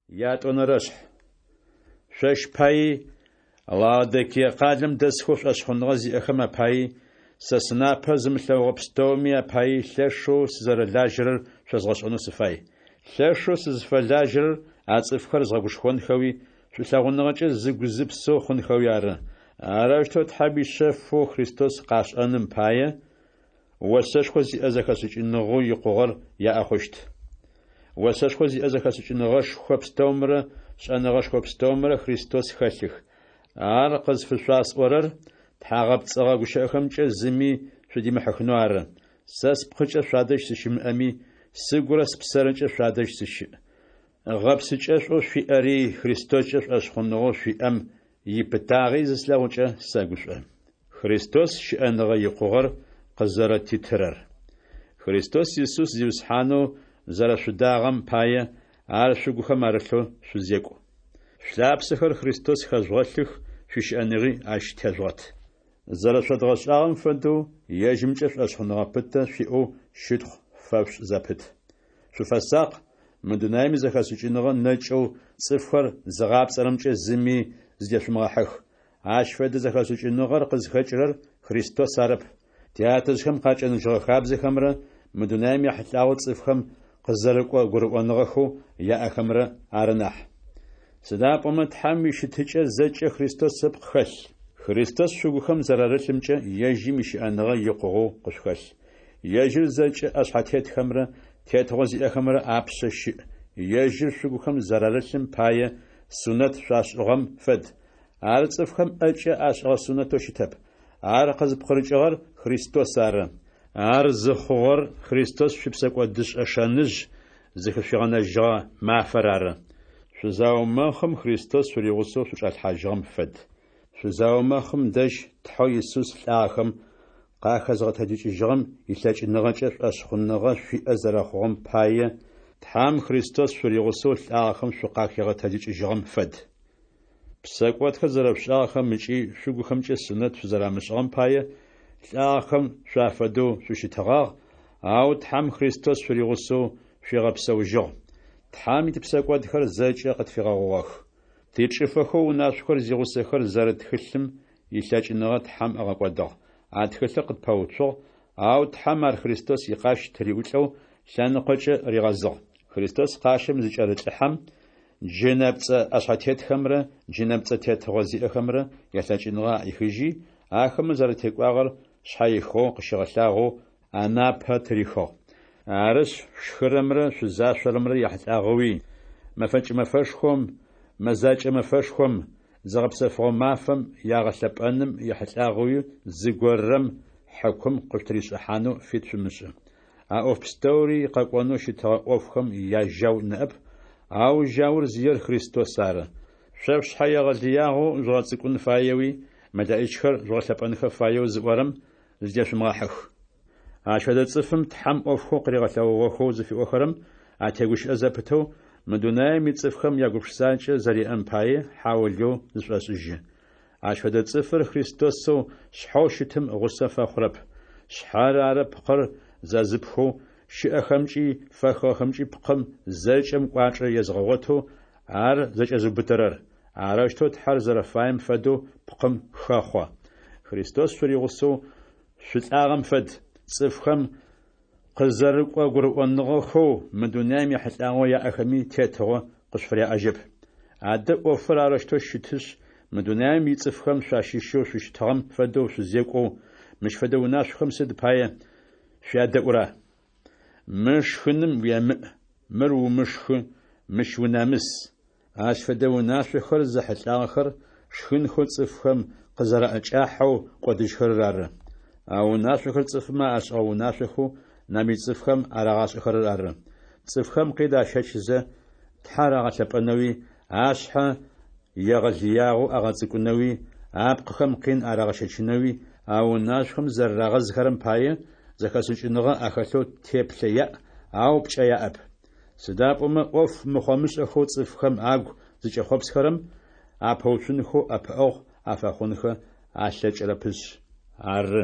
Ятӏонэрэшъхь. Шъощ паий, Лаодикие къалэм дэсхэу шӏошъхъуныгъэ зиӏэхэм апаий, сэ сынапэ зымылъэгъугъэ пстэуми апаий лъэшэу сызэрэлажьэрэр шъозгъэшӏэнэу сыфай. Лъэшэу сызфэлажьэрэр а цӏыфхэр згъэгушхонхэуи, шӏулъэгъуныгъэкӏэ зыгу-зыпсэу хъунхэуи ары. Арэущтэу Тхьэм ишъэфэу Христос къашӏэным пае, осэшхо зиӏэ зэхэшӏыкӏыныгъэу икъугъэр яӏэ хъущт. Осэшхо зиӏэ зэхэшӏыкӏыныгъэшхо пстэумрэ шӏэныгъэшхо пстэумрэ Христос хэлъых. Ар къызфышъуасӏорэр тхьагъэпцӏыгъэ гущыӏэхэмкӏэ зыми шъудимыхьыхынэу ары. Сэ спкъыкӏэ шъуадэжь сыщымыӏэми, сыгурэ спсэрэкӏэ шъуадэжь сыщыӏ. Гъэпсыкӏэшӏоу шъуиӏэри, Христоскӏэ шӏошъхъуныгъэу шъуиӏэм ипытагъи зыслъэгъукӏэ сэгушӏо. Христос щыӏэныгъэ икъугъэр къызэрэтитырэр. Христос Исус Зиусхьанэу зэрэшъудагъэм пае, ар шъугухэм арылъэу шъузекӏу. Шъулъапсэхэр Христос хэжъугъэлъых, шъуищыӏэныгъи ащ тежъугъэт. Зэрэшъодгъэшӏагъэм фэдэу, ежьымкӏэ шӏошъхъуныгъэ пытэ шъуиӏэу щытхъу фэшъушӏ зэпыт. Шъуфэсакъ, мы дунаим изэхэшӏыкӏыныгъэ нэкӏэу цӏыфхэр зыгъапцӏэрэмкӏэ зыми зыдешъумыгъэхьых. Ащ фэдэ зэхэшӏыкӏыныгъэр къызхэкӏырэр Христос арэп, тятэжъхэм къакӏэныжьыгъэ хабзэхэмрэ мы дунаим ехьылӏагъэу цӏыфхэм къызэрыкӏо гурыӏоныгъэхэу яӏэхэмрэ ары нахь. Сыда пӏомэ Тхьэм ищытыкӏэ зэкӏэ Христос ыпкъ хэлъ. Христос шъугухэм зэрарылъымкӏэ ежьым ищыӏэныгъэ икъугъэу къышъухэлъ. Ежьыр зэкӏэ ӏэшъхьэтетхэмрэ тетыгъо зиӏэхэмрэ апшъэ щыӏ. Ежьыр шъугухэм зэрарылъым пае сунэт шъуашӏыгъэм фэд. Ар цӏыфхэм ӏэкӏэ ашӏыгъэ сунэтэу щытэп. Ар къызпкъырыкӏыгъэр Христос ары. Ар зыхъугъэр Христос шъуипсэкӏодышӏэ шэныжъ зыхышъуигъэнэжьыгъэ мафэр ары. Шъузаумэхъым Христос шъуригъусэу шъучӏалъхьажьыгъэм фэд. Шъузаумэхъым дэжь Тхьэу Исус лӏагъэхэм къахэзгъэтэджыкӏыжьыгъэм илъэкӏыныгъэкӏэ шӏошъхъуныгъэ шъуиӏэ зэрэхъугъэм пае, Тхьэм Христос шъуригъусэу лӏагъэхэм шъукъахигъэтэджыкӏыжьыгъэм фэд. Псэкӏодхэр зэрэшъушӏагъэхэм ыкӏи шъугухэмкӏэ сунэт шъузэрамышӏыгъэм пае, лӏагъэхэм шъуафэдэу шъущытыгъагъ, ау Тхьэм Христос шъуригъусэу шъуигъэпсэужьыгъ. Тхьэм типсэкӏодхэр зэкӏэ къытфигъэгъугъэх. Тичӏыфэхэу унашъохэр зигъусэхэр зэрыт тхылъым илъэкӏыныгъэ Тхьэм ыгъэкӏодыгъ. А тхылъыр къытпэуцугъ, ау Тхьэм ар Христос икъащ тыриӏулӏэу лъэныкъокӏэ ригъэзыгъ. Христос къащым зыкӏэрылӏыхьэм, джынэпцӏэ ӏэшъхьэтетхэмрэ джынэпцӏэ тетыгъо зиӏэхэмрэ ялъэкӏыныгъэ аӏихыжьи, ахэмэ зэратекӏуагъэр шъхьэихыгъэу къыщигъэлъагъоу анапэ тырихыгъ. Арышъ, шъушхырэмрэ шъузашъорэмрэ яхьылӏагъэуи, мэфэкӏ мэфэшхом, мэзакӏэ мэфэшхом, зыгъэпсэфыгъо мафэм ягъэлъэпӏэным ехьылӏагъэуи зыгорэм хьыкум къышъутыришӏыхьанэу фит шъумышӏы. А ӏоф пстэури къэкӏонэу щытыгъэ ӏофхэм яжьау ныӏэп, ау жьаур зиер Христос ары. Шъо шъушъхьэ егъэлыягъэу жъугъэцӏыкӏун фаеуи, мэлэӏичхэр жъугъэлъэпӏэнхэ фаеу зыӏорэм зыдешъумыгъэхьых. Ащ фэдэ цӏыфым Тхьэм ӏофхэу къыригъэлъэгъугъэхэу зыфиӏохэрэм атегущыӏэ зэпытэу, мы дунаим ицӏыфхэм ягупшысакӏэ зэриӏэм пае хьаулыеу зышӏошӏыжьы. Ащ фэдэ цӏыфыр Христосэу шъхьэу щытым гъусэ фэхъурэп. Шъхьэр ары пкъыр зэзыпхэу, щыӏэхэмкӏи фэхыгъэхэмкӏи пкъым зэкӏэм кӏуачӏэ езыгъэгъотэу ар зэкӏэзыубытэрэр. Арэущтэу Тхьэр зэрэфаем фэдэу пкъым хэхъо. Христос шъуригъусэу шъулӏагъэм фэд, цӏыфхэм къызэрыкӏо гурыӏоныгъэхэу мы дунаим ехьылӏагъэу яӏэхэми тетыгъо къышъуфыряӏэжьэп. Адэ ӏофыр арэущтэу щытышъ, мы дунаим ицӏыфхэм шъуащыщэу шъущытыгъэм фэдэу шъузекӏоу, мыщ фэдэ унашъохэм сыд пае шъуядэӏура? Мы шхыным уемыӏ, мыр умышхы, мыщ унэмыс. Ащ фэдэ унашъохэр зэхьылӏагъэхэр шхынхэу цӏыфхэм къызэраӏэкӏахьэу кӏодыжьхэрэр ары. А унашъохэр цӏыфмэ ашӏыгъэ унашъохэу нэмыкӏ цӏыфхэм арагъашӏэхэрэр ары. Цӏыфхэм къин ащэчызэ, Тхьэр агъэлъэпӏэнэуи, ашъхьэ егъэлыягъэу агъэцӏыкӏунэуи, апкъыхэм къин арагъэщэчынэуи а унашъохэм зэрэрагъэзыхэрэм пае, зэхэшӏыкӏыныгъэ ахэлъэу теплъэ яӏ, ау пкӏэ яӏэп. Сыда пӏомэ ӏоф мыхъомышӏэхэу цӏыфхэм агу зыкӏэхъопсхэрэм апэуцунхэу ӏэпыӏэгъу афэхъунхэ алъэкӏырэпышъ ары.